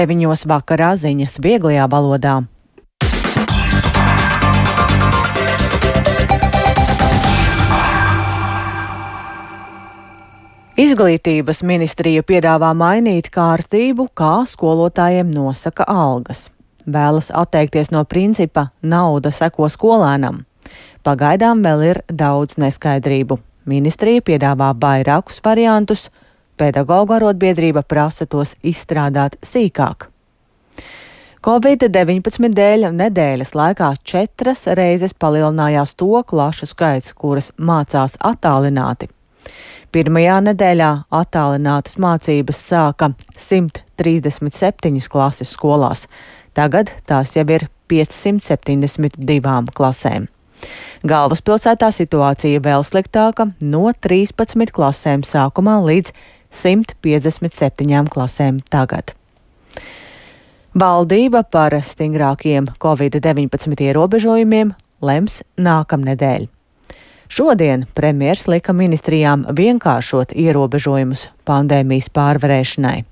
9 vakarā ziņas vieglajā valodā. Izglītības ministrija piedāvā mainīt kārtību, kā skolotājiem nosaka algas. Vēlas atteikties no principa nauda seko skolēnam. Pagaidām vēl ir daudz neskaidrību. Ministrija piedāvā vairākus variantus, pedagoģu arotbiedrība prasa tos izstrādāt sīkāk. Covid-19 dēļ nedēļas laikā 4 reizes palielinājās to klašu skaits, kuras mācās attālināti. Pirmajā nedēļā attālinātas mācības sāka 137 klases skolās. Tagad tās jau ir 572 klasēm. Galvaspilsētā situācija vēl sliktāka - no 13 klasēm sākumā līdz 157 klasēm tagad. Valdība par stingrākiem Covid-19 ierobežojumiem lems nākamnedēļ. Šodien premjers lika ministrijām vienkāršot ierobežojumus pandēmijas pārvarēšanai.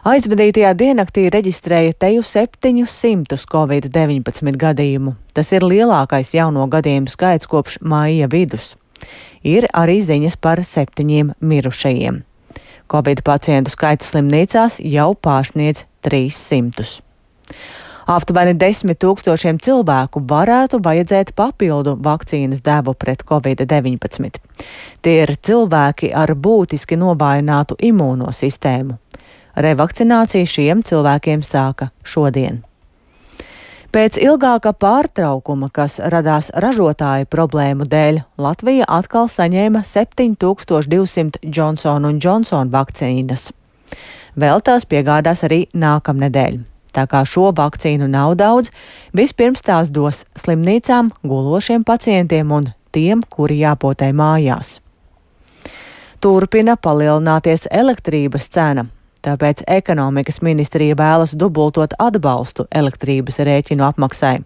Aizvadītajā diennaktī reģistrēja teju 700 Covid-19 gadījumu. Tas ir lielākais jauno gadījumu skaits kopš maija vidus. Ir arī ziņas par 7 mirušajiem. Covid pacientu skaits slimnīcās jau pārsniedz 300. Aptuveni 10 000 cilvēku varētu vajadzēt papildu vakcīnas devu pret Covid-19. Tie ir cilvēki ar būtiski novājinātu imūno sistēmu. Revakcinācija šiem cilvēkiem sāka šodien. Pēc ilgāka pārtraukuma, kas radās ražotāju problēmu dēļ, Latvija atkal saņēma 7200 Johnson & Johnson vakcīnas. Vēl tās piegādās arī nākamnedēļ. Tā kā šo vakcīnu nav daudz, vispirms tās dos slimnīcām, gulošiem pacientiem un tiem, kuri jāpotē mājās. Turpina palielināties elektrības cena, tāpēc ekonomikas ministrija vēlas dubultot atbalstu elektrības rēķinu apmaksai.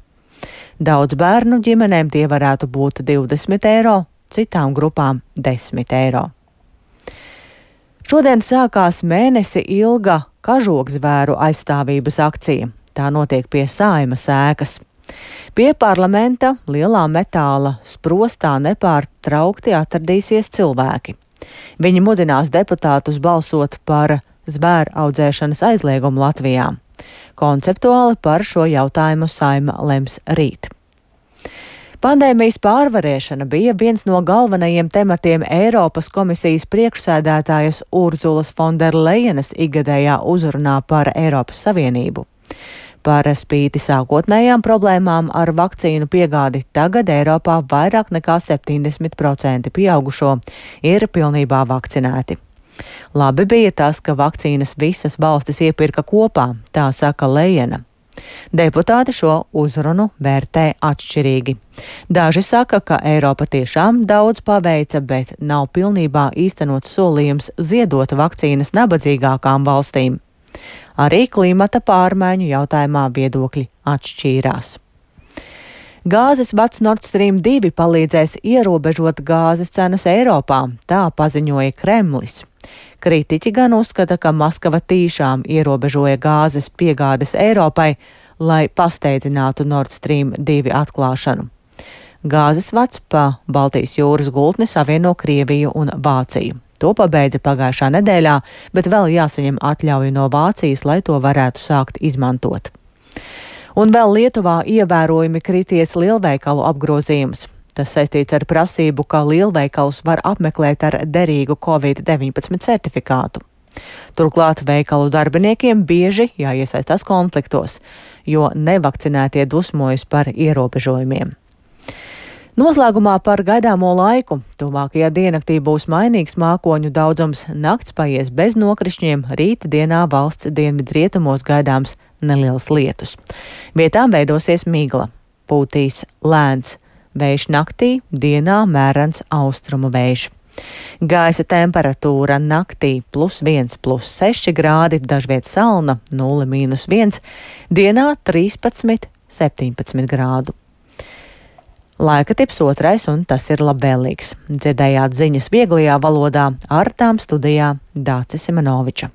Daudz bērnu ģimenēm tie varētu būt 20 eiro, citām grupām 10 eiro. Šodien sākās mēnesi ilga kažokzvēru aizstāvības akcija. Tā notiek pie Saeimas ēkas. Pie parlamenta lielā metāla sprostā nepārtraukti atradīsies cilvēki. Viņi mudinās deputātus balsot par zvēru audzēšanas aizliegumu Latvijā. Konceptuāli par šo jautājumu Saeima lems rīt. Pandēmijas pārvarēšana bija viens no galvenajiem tematiem Eiropas komisijas priekšsēdētājas Urzulas Fonderlejenes ikgadējā uzrunā par Eiropas Savienību. Par spīti sākotnējām problēmām ar vakcīnu piegādi tagad Eiropā vairāk nekā 70% pieaugušo ir pilnībā vakcinēti. Labi bija tas, ka vakcīnas visas valstis iepirka kopā, tā saka Lejena. Deputāti šo uzrunu vērtē atšķirīgi. Daži saka, ka Eiropa tiešām daudz paveica, bet nav pilnībā īstenots solījums ziedot vakcīnas nabadzīgākām valstīm. Arī klimata pārmaiņu jautājumā viedokļi atšķīrās. Gāzes vads Nord Stream 2 palīdzēs ierobežot gāzes cenas Eiropā, tā paziņoja Kremlis. Kritiķi gan uzskata, ka Maskava tīšām ierobežoja gāzes piegādes Eiropai, lai pasteidzinātu Nord Stream 2 atklāšanu. Gāzes vads pa Baltijas jūras gultni savieno Krieviju un Vāciju. To pabeidza pagājušā nedēļā, bet vēl jāsaņem atļauja no Vācijas, lai to varētu sākt izmantot. Un vēl Lietuvā ievērojami krities lielveikalu apgrozījums. Tas saistīts ar prasību, ka lielveikals var apmeklēt ar derīgu Covid-19 certifikātu. Turklāt veikalu darbiniekiem bieži jāiesaistās konfliktos, jo nevakcinētie dusmojas par ierobežojumiem. Noslēgumā par gaidāmo laiku. Tuvākajā diennaktī būs mainīgs mākoņu daudzums, nakts paies bez nokrišņiem, rīta dienā valsts dienvidrietumos gaidāms neliels lietus. Vietām veidosies migla, pūtīs lēns vējš naktī, dienā mērens austrumu vējš. Gaisa temperatūra naktī +1, +6 grādi, dažviet salna 0-1, dienā 13, 17 grādu. Laika tips 2, un tas ir labvēlīgs. Dzirdējāt ziņas vieglajā valodā, ar tām studijā Dācis Simenoviča.